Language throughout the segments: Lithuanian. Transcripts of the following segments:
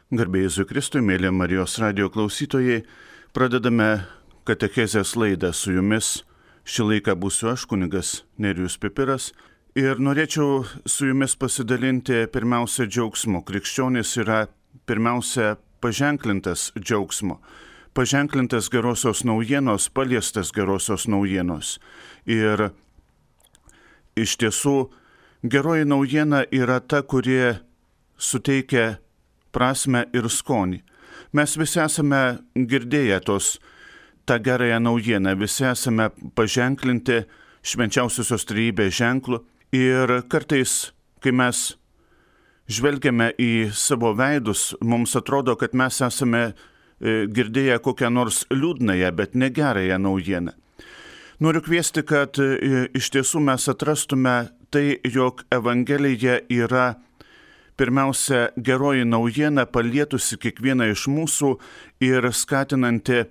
Garbė Jėzui Kristui, mėly Marijos radijo klausytojai, pradedame katechezės laidą su jumis. Šį laiką būsiu aš, kunigas Nerijus Pipiras, ir norėčiau su jumis pasidalinti pirmiausia džiaugsmu. Krikščionis yra pirmiausia paženklintas džiaugsmo, paženklintas gerosios naujienos, paliestas gerosios naujienos. Ir iš tiesų geroji naujiena yra ta, kuri suteikia prasmę ir skonį. Mes visi esame girdėję tą gerąją naujieną, visi esame paženklinti švenčiausiosios trejybės ženklu ir kartais, kai mes žvelgiame į savo veidus, mums atrodo, kad mes esame girdėję kokią nors liūdnąją, bet negerąją naujieną. Noriu kviesti, kad iš tiesų mes atrastume tai, jog Evangelija yra pirmiausia geroji naujiena, palietusi kiekvieną iš mūsų ir skatinanti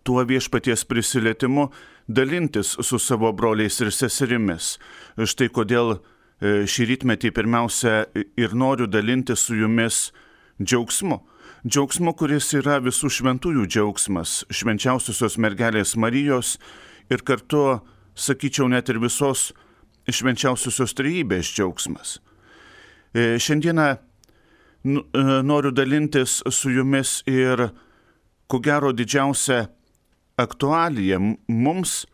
tuo viešpaties prisilietimu dalintis su savo broliais ir seserimis. Štai kodėl šį rytmetį pirmiausia ir noriu dalintis su jumis džiaugsmu. Džiaugsmu, kuris yra visų šventųjų džiaugsmas, švenčiausiosios mergelės Marijos ir kartu, sakyčiau, net ir visos švenčiausiosios trejybės džiaugsmas. Šiandieną noriu dalintis su jumis ir, ko gero, didžiausia aktualija mums,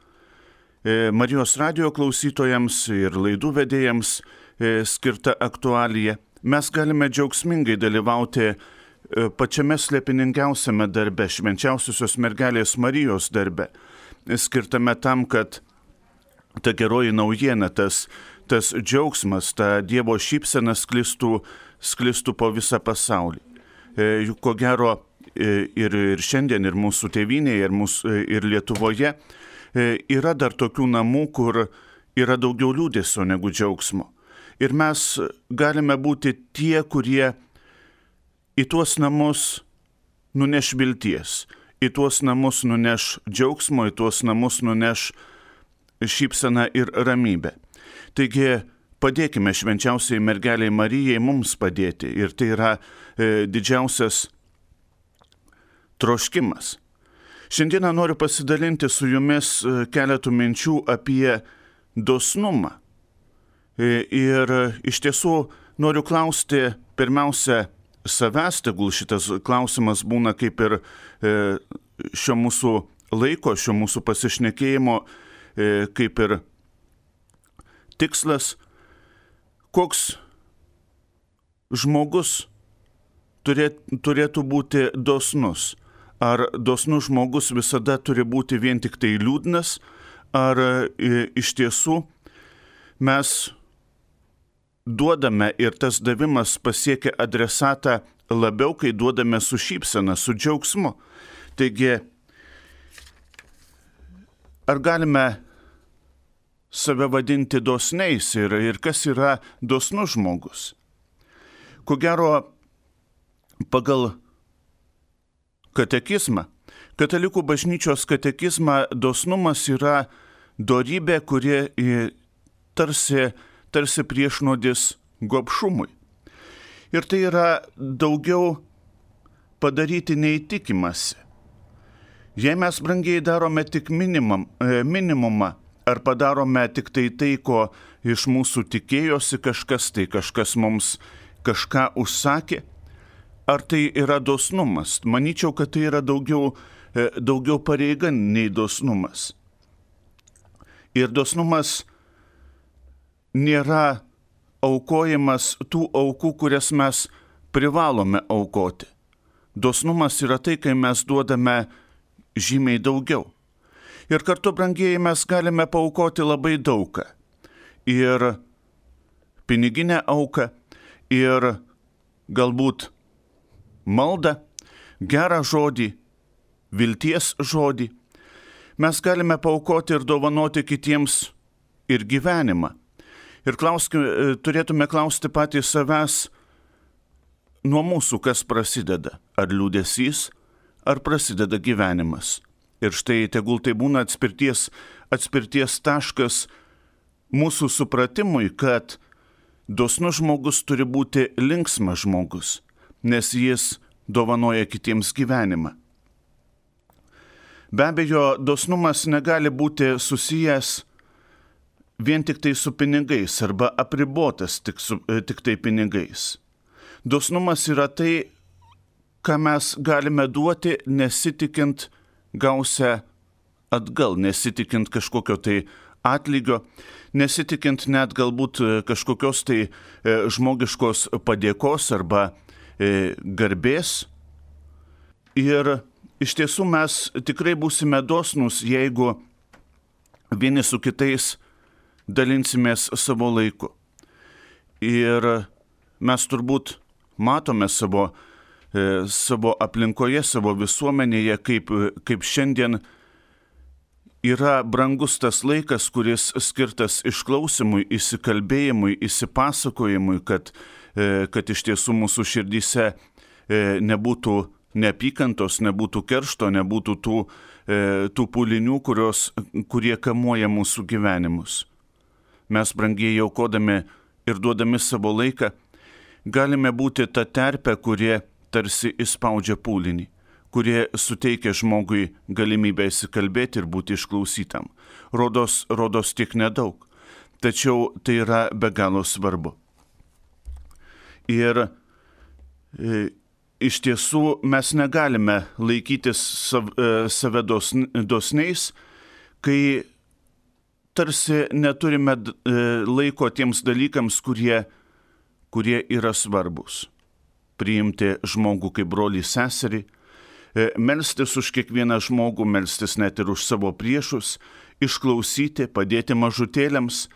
Marijos radijo klausytojams ir laidų vedėjams skirta aktualija. Mes galime džiaugsmingai dalyvauti pačiame slėpiningiausiame darbe, švenčiausiosios mergelės Marijos darbe, skirtame tam, kad ta geroji naujiena, tas džiaugsmas, ta Dievo šypsena sklistų po visą pasaulį. Juk ko gero ir šiandien, ir mūsų tėvynėje, ir Lietuvoje yra dar tokių namų, kur yra daugiau liūdesio negu džiaugsmo. Ir mes galime būti tie, kurie į tuos namus nuneš vilties, į tuos namus nuneš džiaugsmo, į tuos namus nuneš šypseną ir ramybę. Taigi padėkime švenčiausiai mergeliai Marijai mums padėti, ir tai yra didžiausias troškimas. Šiandieną noriu pasidalinti su jumis keletų minčių apie dosnumą. Ir iš tiesų noriu klausti pirmiausia savęs, tegul šitas klausimas būna kaip ir šio mūsų laiko, šio mūsų pasišnekėjimo, kaip ir tikslas, koks žmogus turėtų būti dosnus. Ar dosnus žmogus visada turi būti vien tik tai liūdnas, ar iš tiesų mes duodame ir tas davimas pasiekia adresatą labiau, kai duodame su šypsena, su džiaugsmu. Taigi, ar galime save vadinti dosniais ir kas yra dosnus žmogus? Ko gero, pagal katekizmą, katalikų bažnyčios katekizmą, dosnumas yra dorybė, kuri tarsi priešnuodis gobšumui. Ir tai yra daugiau padaryti nei tikimasi. Jei mes brangiai darome tik minimumą, ar padarome tik tai, ko iš mūsų tikėjosi kažkas mums kažką užsakė, ar tai yra dosnumas? Manyčiau, kad tai yra daugiau pareiga nei dosnumas. Ir dosnumas nėra aukojimas tų aukų, kurias mes privalome aukoti. Dosnumas yra tai, kai mes duodame žymiai daugiau. Ir kartu, brangieji, mes galime paaukoti labai daugą. Ir piniginę auką, ir galbūt maldą, gerą žodį, vilties žodį. Mes galime paaukoti ir dovanoti kitiems ir gyvenimą. Ir turėtume klausti patys savęs nuo mūsų, kas prasideda. Ar liūdesys, ar prasideda gyvenimas. Ir štai tegul tai būna atspirties taškas mūsų supratimui, kad dosnus žmogus turi būti linksmas žmogus. nes jis dovanoja kitiems gyvenimą. Be abejo, dosnumas negali būti susijęs vien tik tai su pinigais arba apribotas tik tai pinigais. Dosnumas yra tai, ką mes galime duoti, nesitikint gausią atgal, nesitikint kažkokio tai atlygio, nesitikint net galbūt kažkokios tai žmogiškos padėkos arba garbės. Ir iš tiesų mes tikrai būsime dosnūs, jeigu vieni su kitais dalinsimės savo laiku. Ir mes turbūt matome savo aplinkoje, savo visuomenėje, kaip šiandien yra brangus tas laikas, kuris skirtas išklausimui, įsikalbėjimui, įsipasakojimui, kad iš tiesų mūsų širdyse nebūtų neapykantos, nebūtų keršto, nebūtų tų pūlinių, kurie kamuoja mūsų gyvenimus. Mes brangiai aukodami ir duodami savo laiką galime būti ta terpė, kurie tarsi įspaudžia pūlinį, kurie suteikia žmogui galimybę įsikalbėti ir būti išklausytam. Rodos tiek nedaug, tačiau tai yra be galo svarbu. Ir iš tiesų mes negalime laikytis save dosniais, kai tarsi neturime laiko tiems dalykams, kurie yra svarbus. Priimti žmogų kaip brolį seserį, melstis už kiekvieną žmogų, melstis net ir už savo priešus, išklausyti, padėti mažutėliams.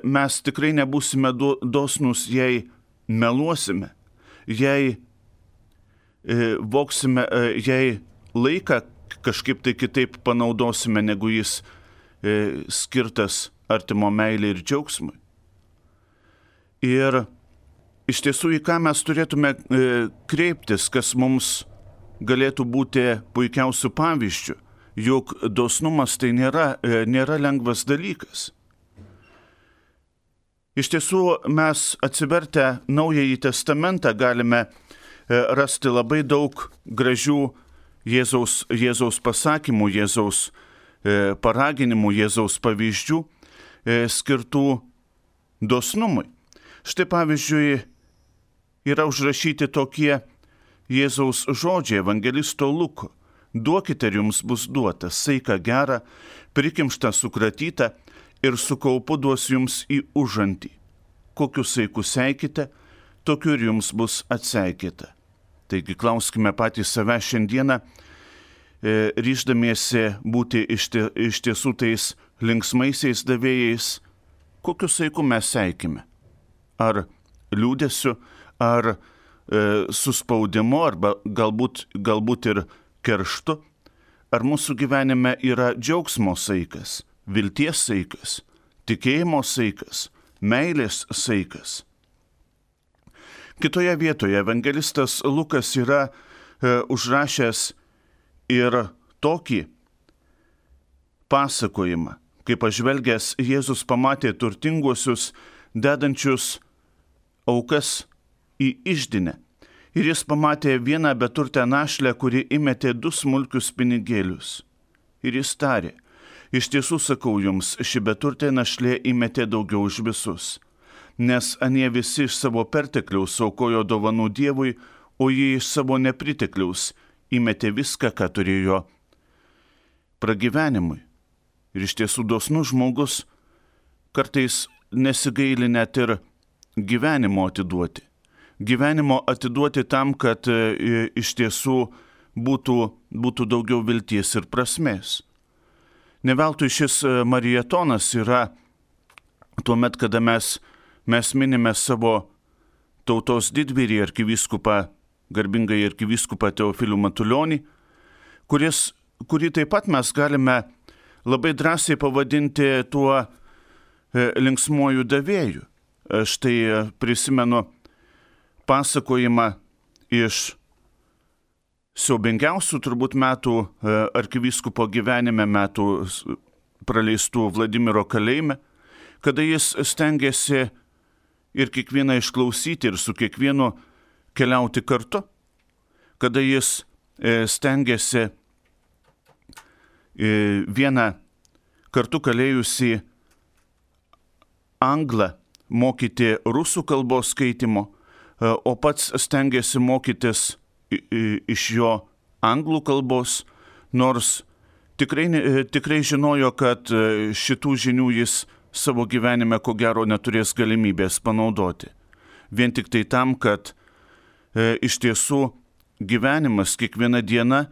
Mes tikrai nebūsime dosnūs, jei meluosime, jei voksime, jei laiką kažkaip tai kitaip panaudosime, negu jis skirtas artimo meilei ir džiaugsmui. Ir iš tiesų, į ką mes turėtume kreiptis, kas mums galėtų būti puikiausių pavyzdžių, juk dosnumas tai nėra lengvas dalykas. Iš tiesų, mes atsivertę Naująjį Testamentą galime rasti labai daug gražių Jėzaus pasakymų, Jėzaus paraginimų, Jėzaus pavyzdžių skirtų dosnumui. Štai pavyzdžiui, yra užrašyti tokie Jėzaus žodžiai evangelisto Luko. Duokite ir jums bus duota, saiką gerą, prikimštą sukratytą ir su kaupu duos jums į užantį. Kokiu saiku seikite, tokiu ir jums bus atseikyta. Taigi klauskime patys save šiandieną, ryždamiesi būti iš tiesų tais linksmaisiais davėjais, kokiu saiku mes seikime. Ar liūdesiu, ar suspaudimu, arba galbūt ir kerštu, ar mūsų gyvenime yra džiaugsmo saikas, vilties saikas, tikėjimo saikas, meilės saikas. Kitoje vietoje evangelistas Lukas yra užrašęs ir tokį pasakojimą, kaip pažvelgęs Jėzus pamatė turtinguosius dedančius aukas į iždinę. Ir jis pamatė vieną beturtę našlę, kuri įmetė 2 smulkius pinigėlius. Ir jis tarė, iš tiesų sakau jums, ši beturtė našlė įmetė daugiau už visus, nes anie visi iš savo pertekliaus aukojo dovanų Dievui, o jie iš savo nepritekliaus įmetė viską, ką turėjo pragyvenimui. Ir iš tiesų dosnus žmogus kartais nesigaili net ir gyvenimo atiduoti. Gyvenimo atiduoti tam, kad iš tiesų būtų daugiau vilties ir prasmės. Ne veltui šis marietonas yra tuomet, kada mes minime savo tautos didvyrį arkivyskupą, garbingai arkivyskupą Teofilių Matulionį, kurį taip pat mes galime labai drąsiai pavadinti tuo linksmuoju davėju. Štai prisimenu pasakojimą iš siaubingiausių turbūt metų arkivyskupo gyvenime, metų praleistų Vladimiro kalėjime, kada jis stengiasi ir kiekvieną išklausyti ir su kiekvienu keliauti kartu, kada jis stengiasi vieną kartu kalėjusį anglą mokyti rusų kalbos skaitimo, o pats stengiasi mokytis iš jo anglų kalbos, nors tikrai žinojo, kad šitų žinių jis savo gyvenime ko gero neturės galimybės panaudoti. Vien tik tai tam, kad iš tiesų gyvenimas kiekviena diena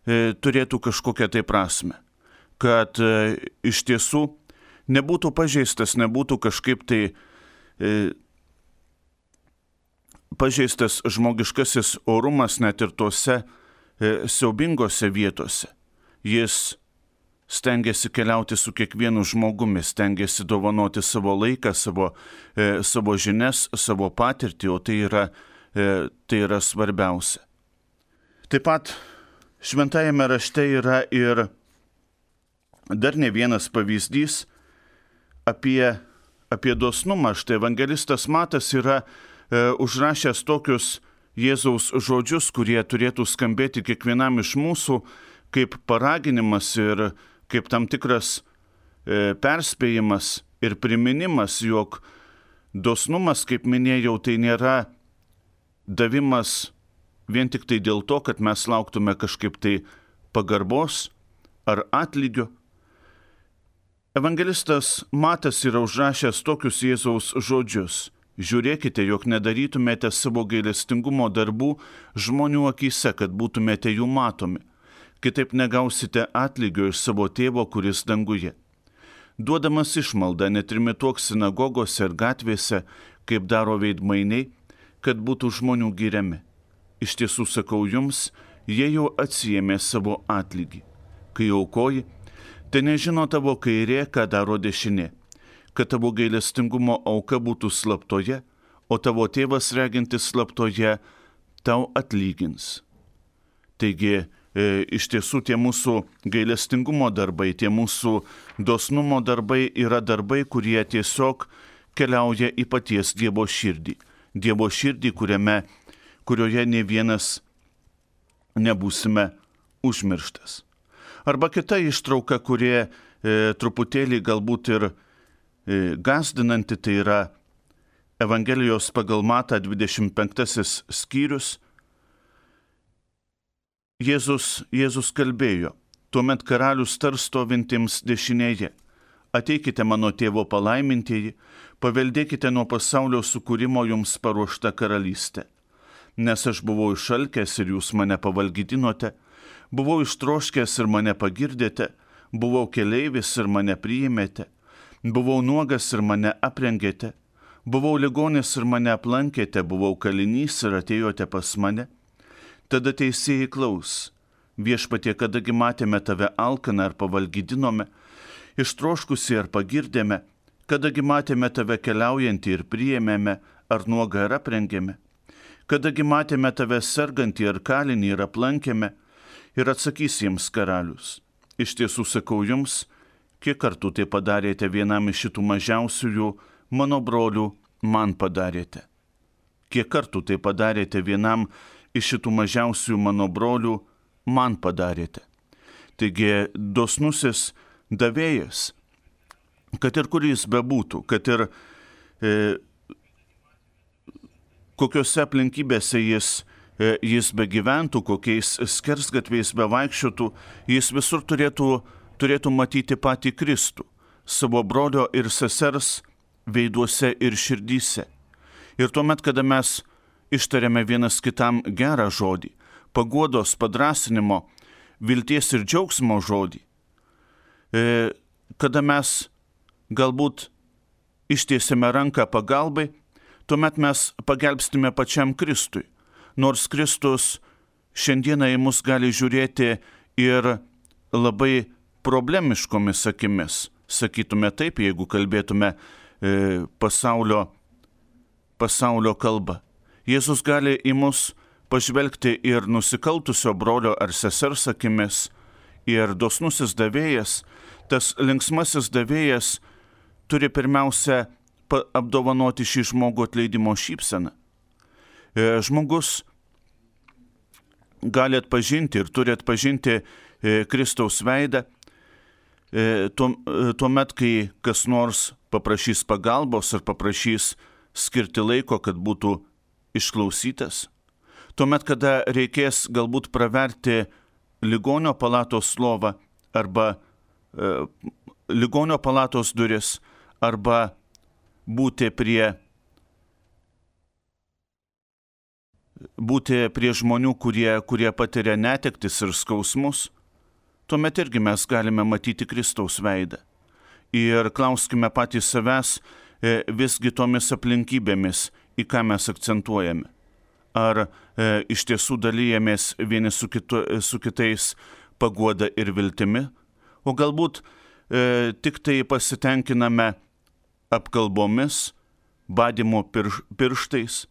turėtų kažkokią tai prasme. Kad iš tiesų nebūtų pažeistas, nebūtų kažkaip tai pažeistas žmogiškasis orumas net ir tose siaubingose vietose. Jis stengiasi keliauti su kiekvienu žmogumi, stengiasi dovanoti savo laiką, savo žinias, savo patirtį, o tai yra svarbiausia. Taip pat šventajame rašte yra ir dar ne vienas pavyzdys apie dosnumą. Štai evangelistas Matas yra užrašęs tokius Jėzaus žodžius, kurie turėtų skambėti kiekvienam iš mūsų kaip paraginimas ir kaip tam tikras perspėjimas ir priminimas, jog dosnumas, kaip minėjau, tai nėra davimas vien tik tai dėl to, kad mes lauktume kažkaip tai pagarbos ar atlygio. Evangelistas Matas yra užrašęs tokius Jėzaus žodžius. Žiūrėkite, jog nedarytumėte savo gailestingumo darbų žmonių akyse, kad būtumėte jų matomi. Kitaip negausite atlygio iš savo tėvo, kuris danguje. Duodamas išmaldą netrimituok sinagogose ir gatvėse, kaip daro veidmainiai, kad būtų žmonių giriami. Iš tiesų sakau jums, jie jau atsiėmė savo atlygį. Kai aukoji, tai nežino tavo kairė, ką daro dešinė, kad tavo gailestingumo auka būtų slaptoje, o tavo tėvas regintis slaptoje tau atlygins. Taigi, iš tiesų tie mūsų gailestingumo darbai, tie mūsų dosnumo darbai yra darbai, kurie tiesiog keliauja į paties Dievo širdį. Dievo širdį, kurioje ne vienas nebūsime užmirštas. Arba kita ištrauka, kurie truputėlį galbūt ir gąsdinanti, tai yra Evangelijos pagal Matą 25 skyrius. Jėzus kalbėjo, tuomet karalius tars stovintiems dešinėje, ateikite mano tėvo palaimintieji, paveldėkite nuo pasaulio sukūrimo jums paruoštą karalystę. Nes aš buvau išalkęs ir jūs mane pavalgydinote, buvau ištroškęs ir mane pagirdėte, buvau keleivis ir mane priėmėte, buvau nuogas ir mane aprengėte, buvau ligonis ir mane aplankėte, buvau kalinys ir atėjote pas mane. Tada teisėjai klaus, viešpatie, kadagi matėme tave alkaną ar pavalgydinome, ištroškusi ar pagirdėme, kadagi matėme tave keliaujantį ir priėmėme, ar nuogą ar aprengėme, kadagi matėme tave sergantį ar kalinį ir aplankėme, ir atsakys jiems karalius. Iš tiesų sakau jums, kiek kartų tai padarėte vienam iš šitų mažiausiųjų mano brolių, man padarėte. Kiek kartų tai padarėte vienam iš šitų mažiausių mano brolių, man padarėte. Taigi dosnusis davėjas, kad ir kur jis bebūtų, kad ir kokiose aplinkybėse jis begyventų, kokiais skersgatviais bevaikščiotų, jis visur turėtų matyti patį Kristų, savo brolio ir sesers veiduose ir širdyse. Ir tuomet, kada mes ištariame vienas kitam gerą žodį, paguodos, padrąsinimo, vilties ir džiaugsmo žodį, kada mes galbūt ištiesime ranką pagalbai, tuomet mes pagelbstime pačiam Kristui. Nors Kristus šiandieną į mus gali žiūrėti ir labai problemiškomis akimis. Sakytume taip, jeigu kalbėtume pasaulio kalbą. Jėzus gali į mus pažvelgti ir nusikaltusio brolio ar sesers akimis, ir dosnusis davėjas, tas linksmasis davėjas turi pirmiausia apdovanoti šį žmogų atleidimo šypseną. žmogus gali atpažinti ir turi atpažinti Kristaus veidą tuomet, kai kas nors paprašys pagalbos ar paprašys skirti laiko, kad būtų išklausytas. Tuomet, kada reikės galbūt praverti ligonio palatos lovą arba ligonio palatos duris arba būti prie žmonių, kurie patiria netektis ir skausmus, tuomet irgi mes galime matyti Kristaus veidą. Ir klauskime patys savęs visgi tomis aplinkybėmis, į ką mes akcentuojame. Ar iš tiesų dalyjamės vieni su kitais paguoda ir viltimi, o galbūt tik tai pasitenkiname apkalbomis, badymo pirštais.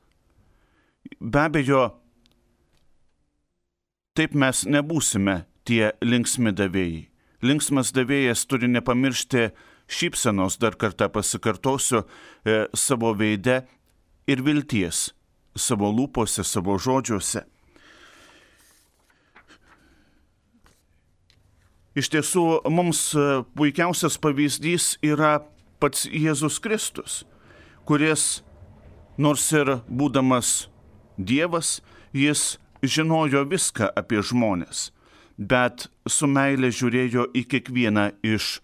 Be abejo, taip mes nebūsime tie linksmi davėjai. Linksmas davėjas turi nepamiršti šypsenos, dar kartą pasikartosiu, savo veide ir vilties, savo lūpose, savo žodžiuose. Iš tiesų, mums puikiausias pavyzdys yra pats Jėzus Kristus, kuris, nors ir būdamas Dievas, jis žinojo viską apie žmones, bet su meile žiūrėjo į kiekvieną iš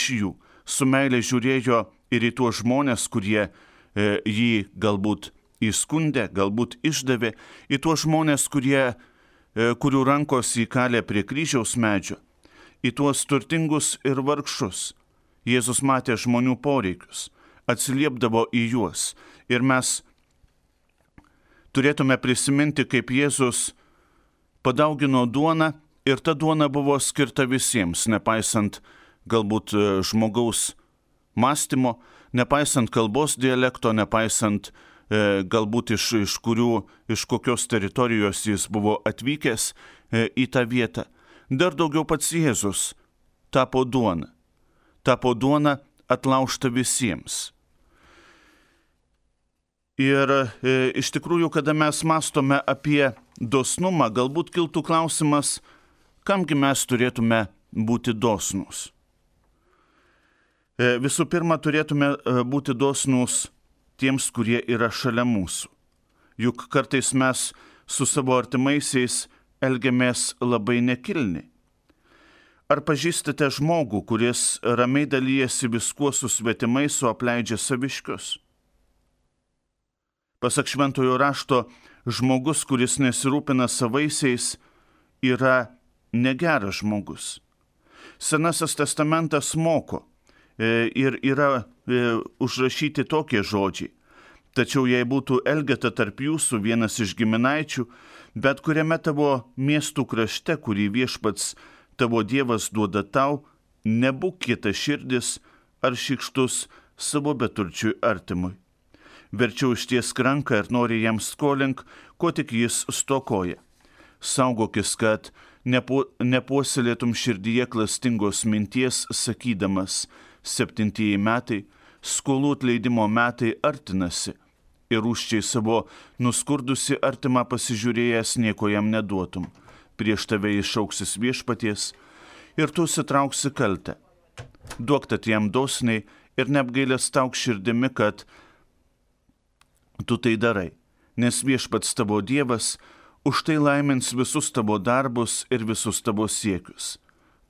jų. Su meile žiūrėjo ir į tuos žmones, kurie jį galbūt įskundė, galbūt išdavė, į tuos žmones, kurių rankos įkalė prie kryžiaus medžio, į tuos turtingus ir vargšus. Jėzus matė žmonių poreikius, atsiliepdavo į juos. Ir mes turėtume prisiminti, kaip Jėzus padaugino duoną ir ta duona buvo skirta visiems, nepaisant galbūt žmogaus mąstymo, nepaisant kalbos dialekto, nepaisant galbūt iš kokios teritorijos jis buvo atvykęs į tą vietą. Dar daugiau pats Jėzus tapo duona atlaužta visiems. Ir iš tikrųjų, kada mes mąstome apie dosnumą, galbūt kiltų klausimas, kamgi mes turėtume būti dosnūs. Visų pirma, turėtume būti dosnūs tiems, kurie yra šalia mūsų. Juk kartais mes su savo artimaisiais elgiamės labai nekilniai. Ar pažįstate žmogų, kuris ramiai dalyjasi viskuo su svetimais, o apleidžia saviškius? Pasak Šventojo rašto, žmogus, kuris nesirūpina savaisiais, yra negeras žmogus. Senasis testamentas moko ir yra užrašyti tokie žodžiai. Tačiau jei būtų Elgeta tarp jūsų vienas iš giminaičių, bet kuriame tavo miestų krašte, kurį viešpats tavo Dievas duoda tau, nebūk kietaširdis ar šykštus savo beturčiui artimui. Verčiau ištiesk ranką ir nori jam skolink, ko tik jis stokoja. Saugokis, kad nepuoselėtum širdyje klastingos minties, sakydamas, 7 metai, skolų atleidimo metai artinasi, ir rūsčiai savo nuskurdusi artimą pasižiūrėjęs nieko jam neduotum. Prieš tave išauksis viešpaties ir tu sitrauksi kaltę. Duok tad jam dosniai ir neapgailestauk širdimi, kad tu tai darai, nes viešpats tavo Dievas už tai laimins visus tavo darbus ir visus tavo siekius.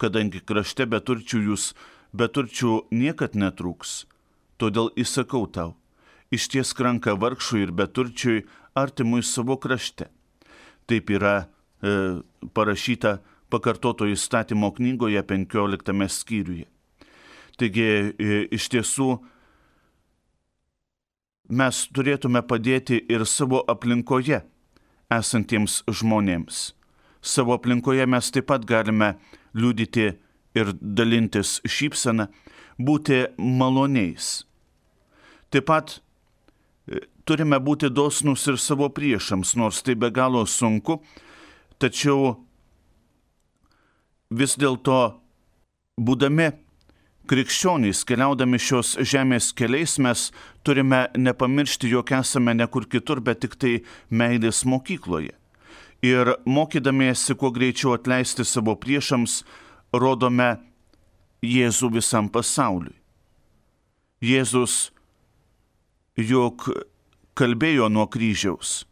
Kadangi krašte beturčių niekad netrūks, todėl įsakau tau, ištiesk ranką vargšui ir beturčiui artimui savo krašte. Taip yra parašyta Pakartoto įstatymo knygoje 15 skyriuje. Taigi iš tiesų mes turėtume padėti ir savo aplinkoje esantiems žmonėms. Savo aplinkoje mes taip pat galime liudyti ir dalintis šypseną, būti maloniais. Taip pat turime būti dosnūs ir savo priešams, nors tai be galo sunku, tačiau vis dėlto, būdami krikščionys, keliaudami šios žemės keliais, mes turime nepamiršti, jog esame ne kur kitur, bet tik tai meilės mokykloje. Ir mokydamiesi kuo greičiau atleisti savo priešams, rodome Jėzų visam pasauliui. Jėzus juk kalbėjo nuo kryžiaus: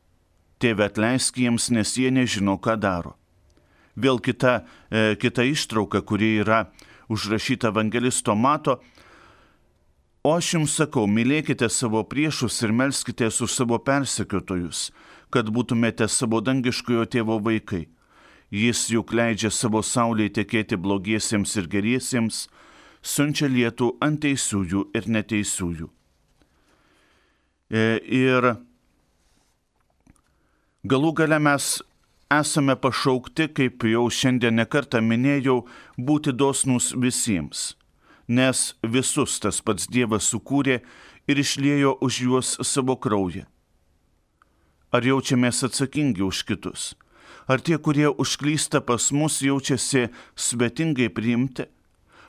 Tėve, atleisk jiems, nes jie nežino, ką daro. Vėl kita ištrauka, kuri yra užrašyta evangelisto Mato: O aš jums sakau, mylėkite savo priešus ir melskitės už savo persekiotojus, kad būtumėte savo dangiškojo tėvo vaikai. Jis juk leidžia savo saulei tekėti blogiesiems ir geriesiems, siunčia lietų ant teisiųjų ir neteisiųjų. Ir galų gale mes esame pašaukti, kaip jau šiandien nekartą minėjau, būti dosnūs visiems, nes visus tas pats Dievas sukūrė ir išliejo už juos savo kraują. Ar jaučiamės atsakingi už kitus? Ar tie, kurie užklysta pas mus, jaučiasi svetingai priimti?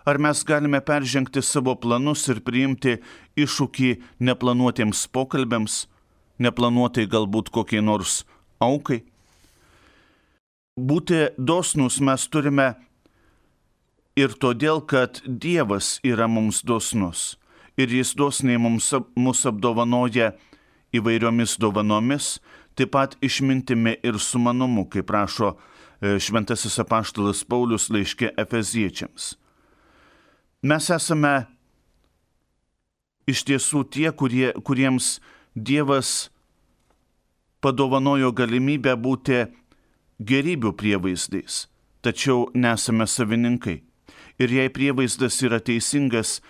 Ar mes galime peržengti savo planus ir priimti iššūkį neplanuotiems pokalbėms, neplanuotai galbūt kokiai nors aukai? Būti dosnūs mes turime ir todėl, kad Dievas yra mums dosnus ir Jis dosniai mus apdovanoja įvairiomis dovanomis, taip pat išmintimi ir sumanumu, kaip rašo šventasis apaštalas Paulius laiške Efeziečiams. Mes esame iš tiesų tie, kuriems Dievas padovanojo galimybę būti gerybių prievaizdais, tačiau nesame savininkai. Ir jei prievaizdas yra teisingas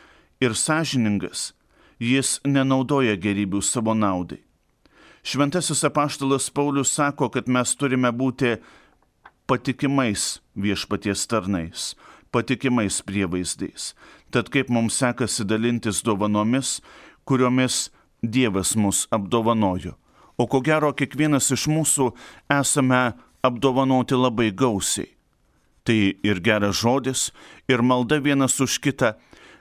ir sąžiningas, jis nenaudoja gerybių savo naudai. Šventasis apaštalas Paulius sako, kad mes turime būti patikimais viešpaties tarnais, patikimais prievaizdais. Tad kaip mums sekasi dalintis dovanomis, kuriomis Dievas mus apdovanojo. O ko gero, kiekvienas iš mūsų esame apdovanoti labai gausiai. Tai ir geras žodis, ir malda vienas už kitą,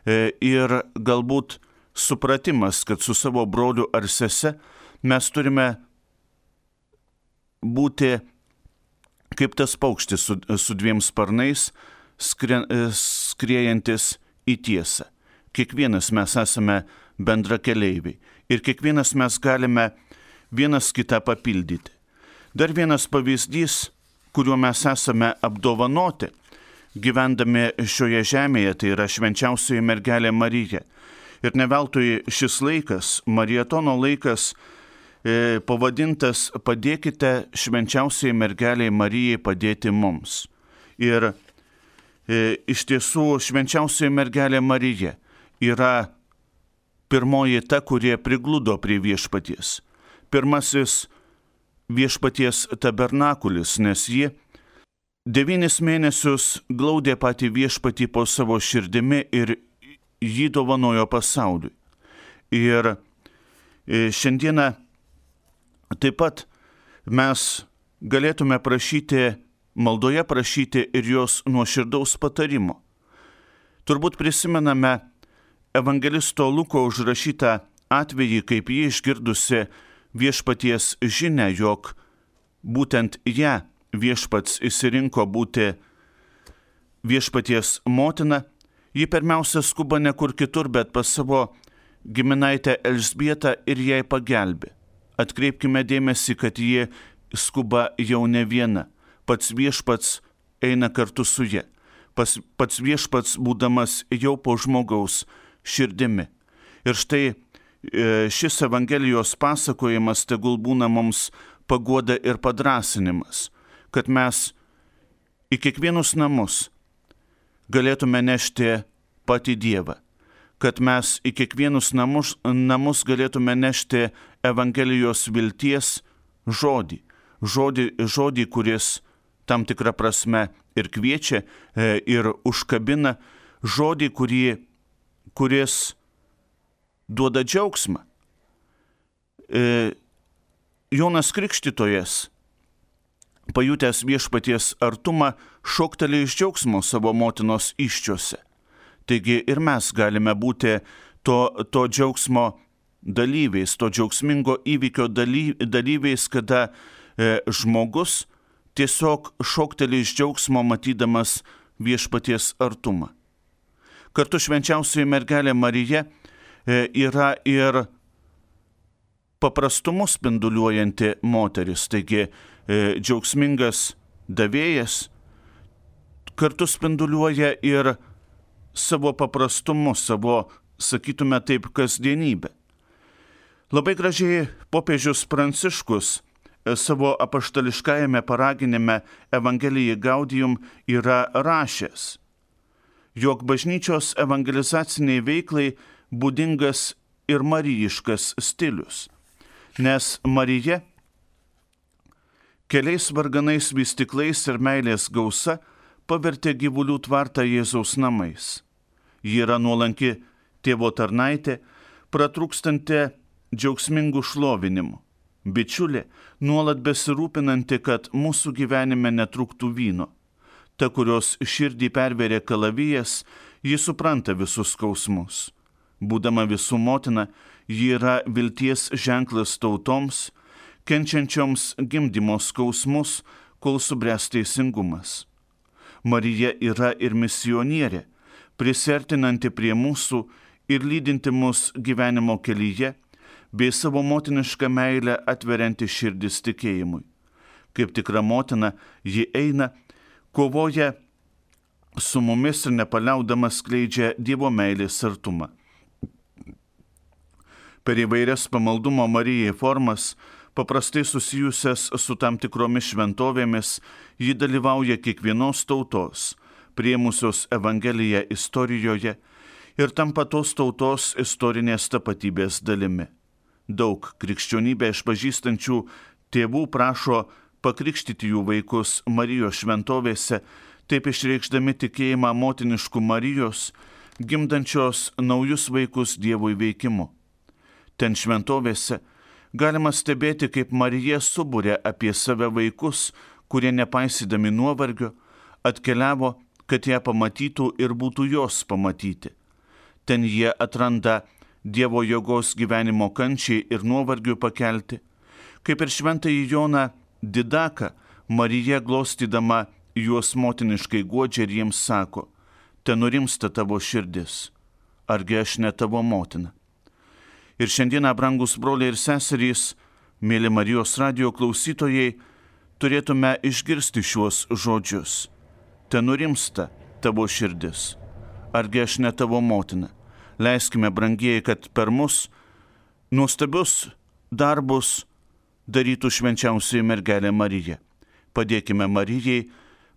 ir galbūt supratimas, kad su savo broliu ar sese mes turime būti kaip tas paukštis su dviem sparnais, skriejantis į tiesą. Kiekvienas mes esame bendrakeleiviai ir kiekvienas mes galime vienas kitą papildyti. Dar vienas pavyzdys, kuriuo mes esame apdovanoti, gyvendami šioje žemėje, tai yra švenčiausioji mergelė Marija. Ir ne veltui šis laikas, marietono laikas, pavadintas "Padėkite švenčiausiai mergeliai Marijai padėti mums". Ir iš tiesų švenčiausioji mergelė Marija yra pirmoji ta, kurie prigludo prie viešpaties. Pirmasis viešpaties tabernakulis, nes ji 9 mėnesius glaudė patį viešpatį po savo širdimi ir jį dovanojo pasauliui. Ir šiandieną taip pat mes galėtume maldoje prašyti ir jos nuoširdaus patarimo. Turbūt prisimename evangelisto Luko užrašytą atvejį, kaip jį išgirdusi viešpaties žinia, jog būtent ją viešpats išsirinko būti viešpaties motina. Ji pirmiausia skuba ne kur kitur, bet pas savo giminaitę Elžbietą ir jai pagelbė. Atkreipkime dėmesį, kad ji skuba jau ne viena. Pats viešpats eina kartu su ja. Pats viešpats būdamas jau po žmogaus širdimi. Ir štai šis Evangelijos pasakojimas tegul būna mums paguoda ir padrasinimas, kad mes į kiekvienus namus galėtume nešti patį Dievą, kad mes į kiekvienus namus galėtume nešti Evangelijos vilties žodį, kuris tam tikrą prasme ir kviečia, ir užkabina, žodį, kuris duoda džiaugsmą. Jonas Krikštytojas, pajutęs viešpaties artumą, šoktelėjo iš džiaugsmo savo motinos įsčiose. Taigi ir mes galime būti to džiaugsmo dalyviais, to džiaugsmingo įvykio dalyviais, kada žmogus tiesiog šokteli iš džiaugsmo matydamas viešpaties artumą. Kartu švenčiausioji mergelė Marija yra ir paprastumu spinduliuojanti moteris, taigi džiaugsmingas davėjas kartu spinduliuoja ir savo paprastumu, savo, sakytume taip, kasdienybę. Labai gražiai popiežius Pranciškus savo apaštališkajame paraginime Evangelijai Gaudium yra rašęs, jog bažnyčios evangelizaciniai veiklai būdingas ir marijiškas stilius, nes Marija keliais varganais vystyklais ir meilės gausa pavertė gyvulių tvartą Jėzaus namais. Ji yra nuolanki tėvo tarnaitė, pratrūkstanti džiaugsmingų šlovinimų, bičiulė, nuolat besirūpinanti, kad mūsų gyvenime netrūktų vyno. Ta, kurios širdį pervėrė kalavijas, ji supranta visus skausmus. Būdama visų motina, ji yra vilties ženklas tautoms, kenčiančioms gimdymo skausmus, kol subręs teisingumas. Marija yra ir misionierė, prisertinanti prie mūsų ir lydinti mus gyvenimo kelyje, bei savo motinišką meilę atverianti širdis tikėjimui. Kaip tikra motina, ji eina, kovoja su mumis ir nepaliaudama skleidžia Dievo meilės artumą. Per įvairias pamaldumo Marijai formas, paprastai susijusias su tam tikromis šventovėmis, ji dalyvauja kiekvienos tautos, priėmusios Evangeliją istorijoje ir tampa tos tautos istorinės tapatybės dalimi. Daug krikščionybę išpažįstančių tėvų prašo pakrikštyti jų vaikus Marijos šventovėse, taip išreikšdami tikėjimą motiniškų Marijos, gimdančios naujus vaikus Dievui veikimu. Ten šventovėse galima stebėti, kaip Marija subūrė apie save vaikus, kurie nepaisydami nuovargio atkeliavo, kad ją pamatytų ir būtų jos pamatyti. Ten jie atranda Dievo jėgos gyvenimo kančiai ir nuovargiui pakelti. Kaip ir šventąjį Joną Didaką, Marija glostydama juos motiniškai guodžia ir jiems sako, te nurimsta tavo širdis, argi aš ne tavo motina. Ir šiandieną, brangus broliai ir seserys, mėly Marijos radijo klausytojai, turėtume išgirsti šiuos žodžius. Te nurimsta tavo širdis, argi aš ne tavo motina. Leiskime, brangieji, kad per mus nuostabius darbus darytų švenčiausioji mergelė Marija. Padėkime Marijai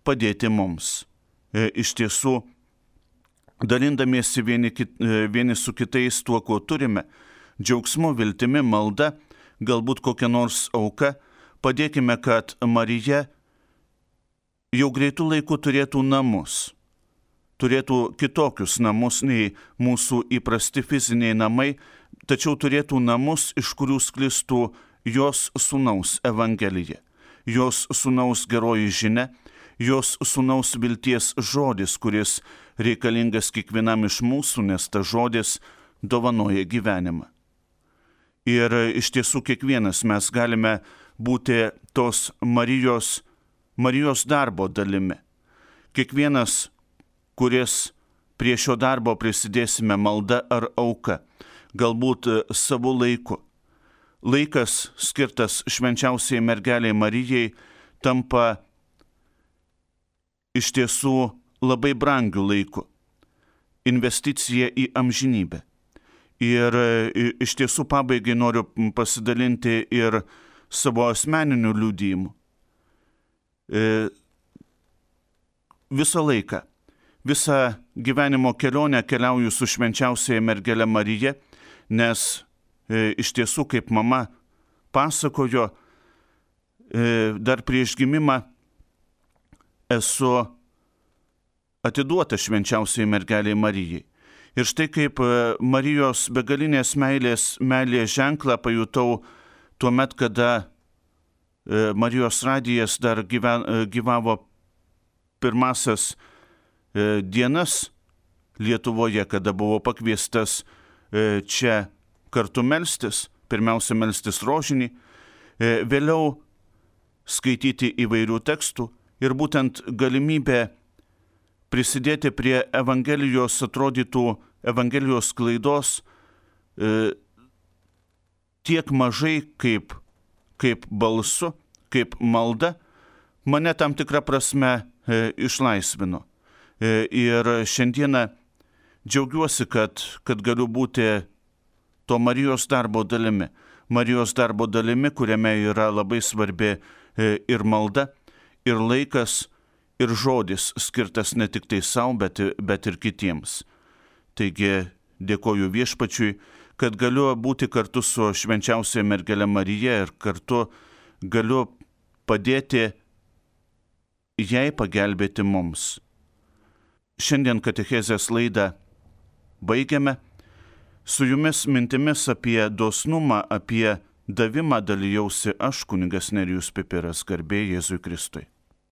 padėti mums. Iš tiesų, dalindamiesi vieni su kitais tuo, ko turime, džiaugsmu, viltimi, malda, galbūt kokia nors auka, padėkime, kad Marija jau greitų laikų turėtų namus. Turėtų kitokius namus nei mūsų įprasti fiziniai namai, tačiau turėtų namus, iš kurių sklistų jos sūnaus Evangelija, jos sūnaus geroji žinia, jos sūnaus vilties žodis, kuris reikalingas kiekvienam iš mūsų, nes ta žodis dovanoja gyvenimą. Ir iš tiesų kiekvienas mes galime būti tos Marijos darbo dalimi. Kiekvienas, kuris prie šio darbo prisidėsime malda ar auka, galbūt savo laiku. Laikas skirtas švenčiausiai mergeliai Marijai tampa iš tiesų labai brangiu laiku. Investicija į amžinybę. Ir iš tiesų pabaigai noriu pasidalinti ir savo asmeniniu liudijimu. Visą laiką, visą gyvenimo kelionę keliauju su švenčiausiaja mergele Marija, nes iš tiesų, kaip mama pasakojo, dar prieš gimimą esu atiduota švenčiausiai mergeliai Marijai. Ir štai kaip Marijos begalinės meilės ženklą pajutau tuo met, kada Marijos radijas dar gyvavo pirmasias dienas Lietuvoje, kada buvo pakviestas čia kartu melstis, pirmiausia melstis rožinį, vėliau skaityti įvairių tekstų ir būtent galimybė prisidėti prie Evangelijos, atrodytų Evangelijos sklaidos tiek mažai kaip balsu, kaip malda, mane tam tikrą prasme išlaisvino. Ir šiandieną džiaugiuosi, kad galiu būti to Marijos darbo dalimi. Marijos darbo dalimi, kuriame yra labai svarbi ir malda, ir laikas, ir žodis skirtas ne tik tai savo, bet ir kitiems. Taigi dėkoju Viešpačiui, kad galiu būti kartu su švenčiausia mergele Marija ir kartu galiu padėti jai pagelbėti mums. Šiandien katechezės laidą baigiame. Su jumis mintimis apie dosnumą, apie davimą dalijausi aš, kunigas Nerijus Pipiras, garbė Jėzui Kristui.